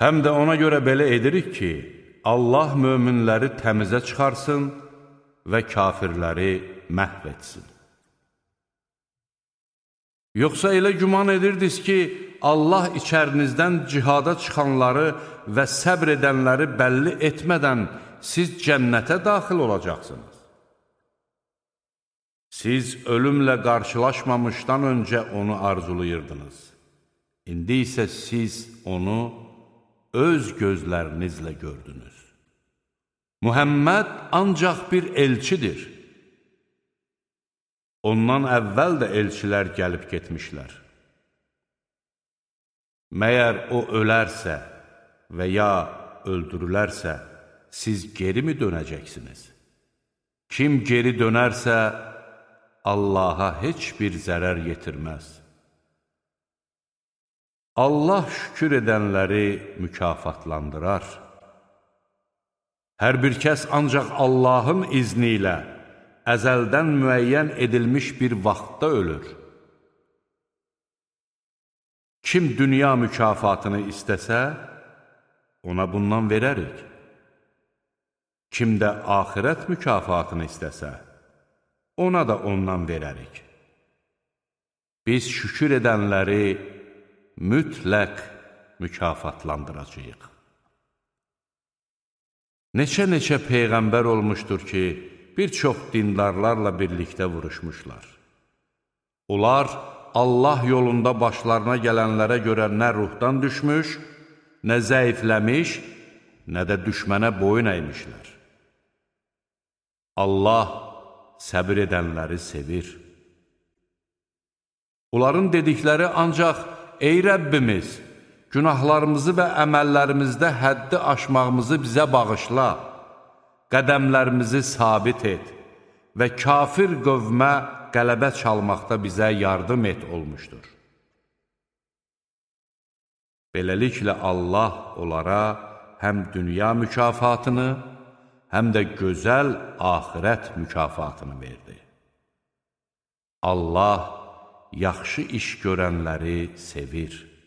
Həm də ona görə belə edirik ki, Allah möminləri təmizə çıxarsın və kafirləri məhv etsin. Yoxsa elə güman edirdiniz ki, Allah içərinizdən cihada çıxanları və səbr edənləri bəlli etmədən siz cənnətə daxil olacaqsınız. Siz ölümlə qarşılaşmamışdan öncə onu arzulayırdınız. İndi isə siz onu öz gözlərinizlə gördünüz. Muhammed ancaq bir elçidir. Ondan əvvəl də elçilər gəlib getmişlər. Məyər o ölərsə və ya öldürülərsə, siz geri mi dönəcəksiniz? Kim geri dönərsə, Allaha heç bir zərər yetirməz. Allah şükür edənləri mükafatlandırar. Hər bir kəs ancaq Allahın izni ilə əzəldən müəyyən edilmiş bir vaxtda ölür. Kim dünya mükafatını istəsə, ona bundan verərik. Kim də axirət mükafatını istəsə, ona da ondan verərik. Biz şükür edənləri mütləq mükafatlandıracağıq. Neçə-neçə peyğəmbər olmuşdur ki, bir çox dindarlarla birlikdə vuruşmuşlar. Onlar Allah yolunda başlarına gələnlərə görə nə ruhdan düşmüş, nə zəifləmiş, nə də düşmənə boyun əymişlər. Allah səbir edənləri sevir. Onların dedikləri ancaq, ey Rəbbimiz, günahlarımızı və əməllərimizdə həddi aşmağımızı bizə bağışla, qədəmlərimizi sabit et və kafir qövmə qələbə çalmaqda bizə yardım et olmuşdur. Beləliklə Allah onlara həm dünya mükafatını, həm də gözəl axirət mükafatını verdi. Allah yaxşı iş görənləri sevir.